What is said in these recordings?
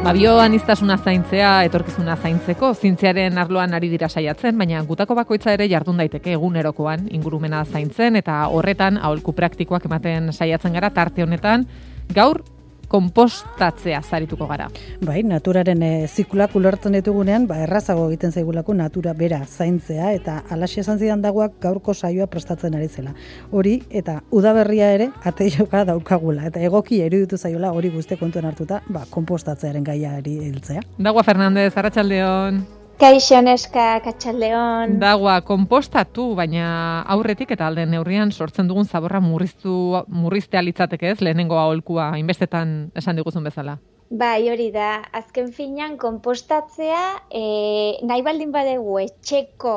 Bioaniztasuna zaintzea etorkizuna zaintzeko zientziaren arloan ari dira saiatzen, baina gutako bakoitza ere jardun daiteke egunerokoan ingurumena zaintzen eta horretan aholku praktikoak ematen saiatzen gara tarte honetan. Gaur konpostatzea zarituko gara. Bai, naturaren ziklak ulertzen ditugunean, errazago egiten zaigulako natura bera zaintzea eta alaxia esan zidan dagoak gaurko saioa prestatzen ari zela. Hori eta udaberria ere ateioka daukagula eta egoki iruditu zaiola hori guzti kontuan hartuta, konpostatzearen gaiari heltzea. Dagua Fernandez, arratsaldeon. Kaixo neska, katxaldeon. Dagua, konpostatu, baina aurretik eta alden neurrian sortzen dugun zaborra murriztea litzateke ez, lehenengo aholkua, inbestetan esan diguzun bezala. Bai, hori da, azken finean konpostatzea, nahi baldin badegu etxeko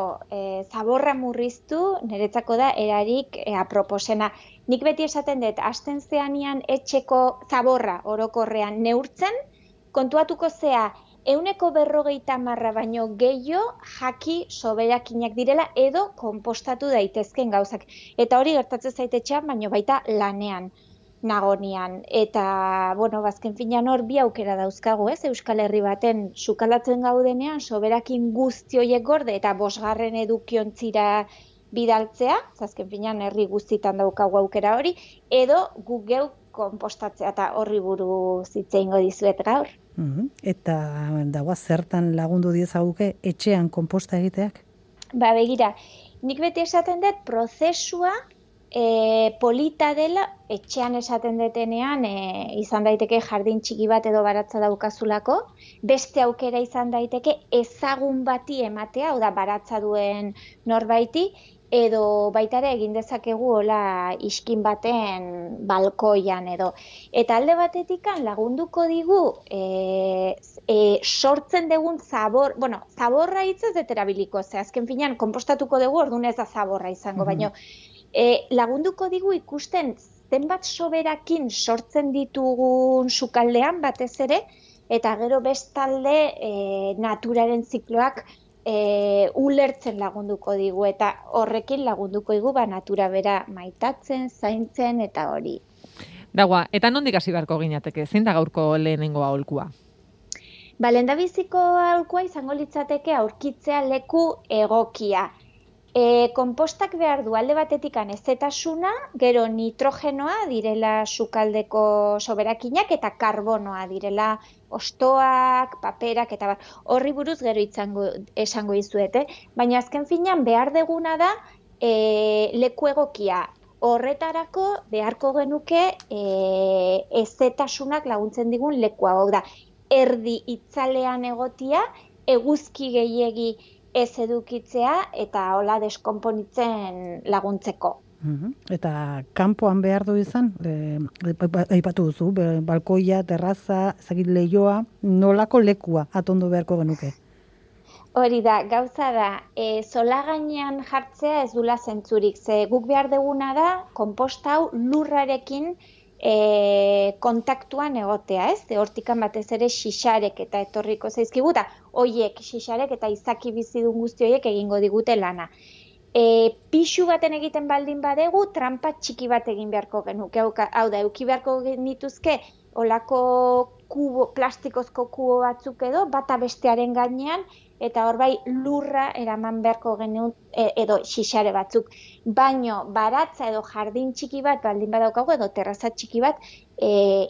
zaborra murriztu, niretzako da erarik aproposena. Nik beti esaten dut, hasten zeanian etxeko zaborra orokorrean neurtzen, kontuatuko zea, 150 baino gehiago jaki soberakinak direla edo konpostatu daitezken gauzak. Eta hori gertatzen zaitetxean, baino baita lanean, nagonian. Eta, bazken finean hor bi aukera dauzkagu, ez? Euskal Herri baten sukalatzen gaudenean, soberakin guzti horiek gorde eta 5. edukiontzira bidaltzea, azken finean herri guztitan daukagu aukera hori, edo gu geu konpostatzea eta horri buruz hitz egingo dizuet gaur. Eta dagoa zertan lagundu diezaguke etxean konposta egiteak? Begira, nik beti esaten dut prozesua polita dela, etxean esaten detenean izan daiteke jardin txiki bat edo baratza daukazulako, beste aukera izan daiteke ezagun bati ematea, hau da baratza duen norbaiti, edo baitare egin dezakegu hola iskin baten balkoian edo. Eta alde batetikan lagunduko digu sortzen dugun zaborra hitz ez deterabiliko, ze azken finean konpostatuko dugu orduan ez da zaborra izango, baina lagunduko digu ikusten zenbat soberakin sortzen ditugun sukaldean batez ere, eta gero bestalde naturaren zikloak ulertzen lagunduko digu eta horrekin lagunduko digu natura bera maitatzen, zaintzen eta hori. Dagua, eta nondik hasi beharko ginateke? Zein da gaurko lehenengo aholkua? Lehendabiziko aholkua izango litzateke aurkitzea leku egokia. Konpostak behar du alde batetik anezetasuna, gero nitrogenoa direla sukaldeko soberakinak eta karbonoa direla ostoak, paperak eta horri buruz gero esango dizuet, baina azken finean behar deguna da leku egokia. Horretarako beharko genuke ezetasunak laguntzen digun lekua, hau da, erdi itzalean egotia, eguzki gehiegi ez edukitzea eta hola deskonponitzen laguntzeko. Eta kanpoan behar du izan, aipatu duzu, balkoia, terraza, lehioa, nolako lekua atondo beharko genuke? Hori da, gauza da, zola gainean jartzea ez dula zentzurik, ze guk behar duguna da, konposta hau lurrarekin kontaktuan egotea, ez? Hortikan batez ere xixarek eta etorriko zaizkigu, eta hoiek xixarek eta izaki bizidun guzti hoiek egingo digute lana. Pixu baten egiten baldin badegu, trampa txiki bat egin beharko genuke. Hau da, eduki beharko genituzke olako plastikozko kubo batzuk edo, bata bestearen gainean, eta hor bai lurra eraman beharko genuen edo xixare batzuk. Baino baratza edo jardin txiki bat baldin badaukagu edo terraza txiki bat,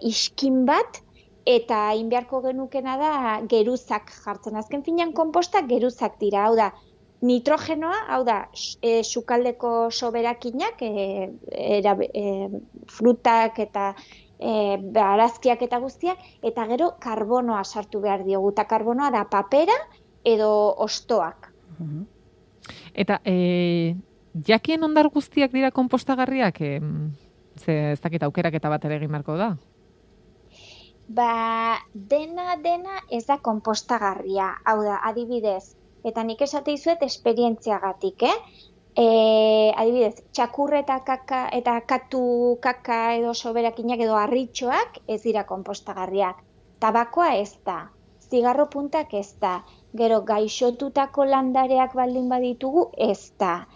iskin bat, eta egin beharko genukena da geruzak jartzen. Azken finean konpostak geruzak dira, hau da, nitrogenoa, hau da, sukaldeko soberakinak, frutak eta barazkiak eta guztiak, eta gero karbonoa sartu behar diogu, eta karbonoa da papera edo ostoak. Eta jakien ondar guztiak dira konpostagarriak? Ez dakit aukeraketa bat ere egin beharko da? Dena ez da konpostagarria, hau da, adibidez, eta nik esate dizuet esperientziagatik, adibidez, txakurreta kaka eta katu kaka edo soberakinak edo harritxoak ez dira konpostagarriak. Tabakoa ez da, zigarro puntak ez da, gero gaixotutako landareak baldin baditugu ez da.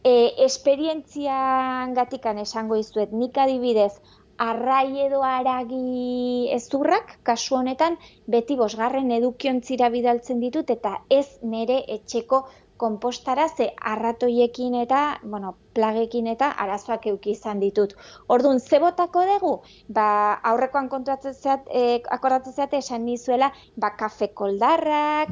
Esperientzian gatikan esango dizuet, nik adibidez, arrai edo haragi ezurrak, kasu honetan, beti 5. edukiontzira bidaltzen ditut, eta ez nire etxeko konpostara, ze arratoiekin eta, plagekin eta arazoak eduki izan ditut. Orduan, ze botako dugu? Aurrekoan akordatzen zeate esan nizuela, kafe koldarrak,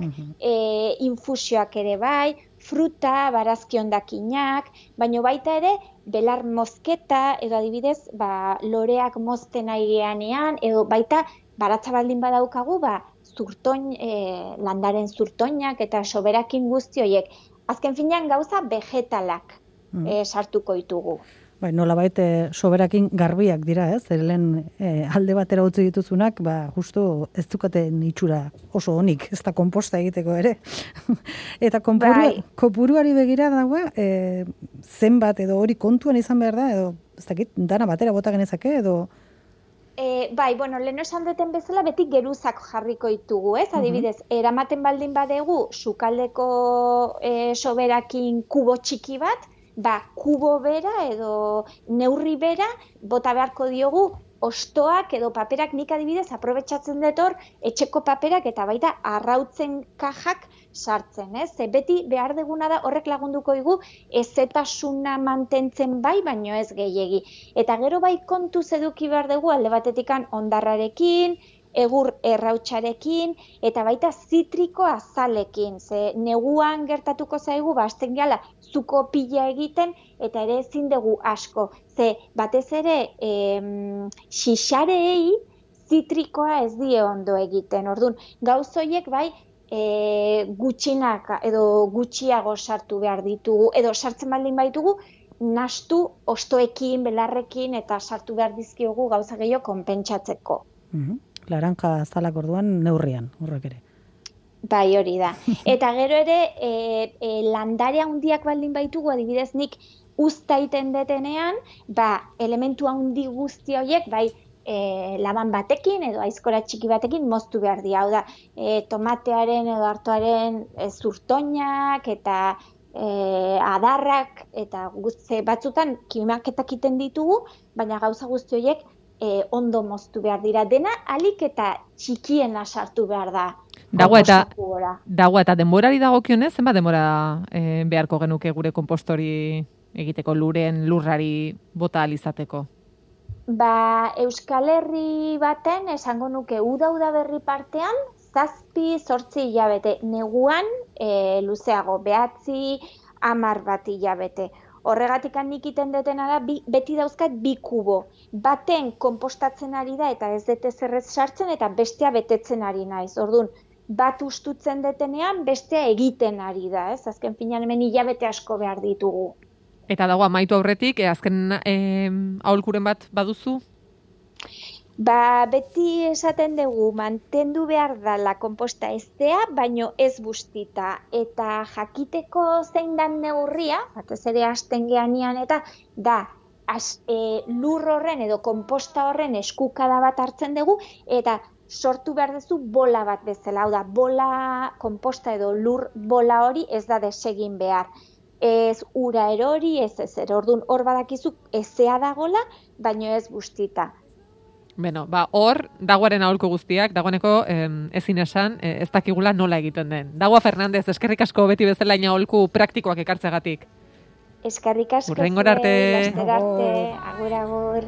infusioak ere bai, fruta, barazki hondakinak, baina baita ere, belar mozketa, edo adibidez, loreak mozten aireanean, edo baita, baratza baldin badaukagu, landaren zurtoinak eta soberakin guzti horiek. Azken finean gauza vegetalak sartuko ditugu. Nolabait soberakin garbiak dira, ez? Lehen alde batera utzi dituzunak, justu ez dukaten itxura oso onik, ez da konposta egiteko ere. Eta kopuruari begira dago, zenbat edo hori kontuan izan behar da, edo ez dakit, dana batera bota genezake, edo... lehen esan duten bezala beti geruzak jarriko ditugu, ez? Adibidez, eramaten baldin badegu sukaldeko soberakin kubo txiki bat, kubo bera edo neurri bera bota beharko diogu ostoak edo paperak, nik adibidez aprobetxatzen dut hor etxeko paperak eta baita arrautzen kajak sartzen, ez? Beti behar deguna da horrek lagunduko digu ezetasuna mantentzen baino ez gehiegi. Eta gero kontuz eduki behar dugu alde batetikan hondarrarekin, egur errautsarekin, eta baita zitriko azalekin. Neguan gertatuko zaigu, hasten gehala, zuko pila egiten, eta ere ezin dugu asko. Batez ere, xixareei zitrikoa ez die ondo egiten. Orduan, gauzoiek gutxinak edo gutxiago sartu behar ditugu, edo sartzen baldin baitugu, nastu ostoekin, belarrekin, eta sartu behar dizkiogu gauza gehiago konpentsatzeko. Laranja azalak orduan neurrian, horrek ere. Hori da. Eta gero ere, landare handiak baldin baitugu, adibidez nik uztaiten detenean, elementu handi guzti horiek, laban batekin edo aizkora txiki batekin moztu behar dira. Hau da, tomatearen edo artoaren zurtoinak eta adarrak, eta batzutan kimaketak iten ditugu, baina gauza guzti horiek ondo moztu behar dira. Dena alik eta txikiena sartu behar da. Dago eta denborari dagokionez, zenbat denbora beharko genuke gure konpostori egiteko, lurrari bota alizateko? Euskal Herri baten esango nuke uda berri partean 7-8 hilabete, neguan luzeago, 9-10 hilabete. Horregatik nik iten detena da, beti dauzkat 2 kubo. Baten konpostatzen ari da eta ez dute zerrez sartzen eta bestea betetzen ari naiz. Orduan, bat ustutzen detenean, bestea egiten ari da, ez? Azken finean hemen hilabete asko behar ditugu. Eta dago amaitu aurretik, azken aholkuren bat baduzu? Beti esaten dugu, mantendu behar dala konposta eztea, baino ez bustita. Eta jakiteko zein dan neurria, batez ere hasten geanian, eta lur horren edo konposta horren eskukada bat hartzen dugu, eta sortu behar duzu bola bat bezala. Hau da, bola, konposta edo lur bola hori ez da desegin behar. Ez ura erori, ez ezer. Orduan hor badakizu ezea dagola, baino ez bustita. Hor, dagoaren aholku guztiak, dagoeneko ezin esan, ez dakigula nola egiten den. Dagoa Fernandez, eskerrik asko beti bezala aholku praktikoak ekartzegatik. Eskerrik asko. Hurrengora arte. Agur.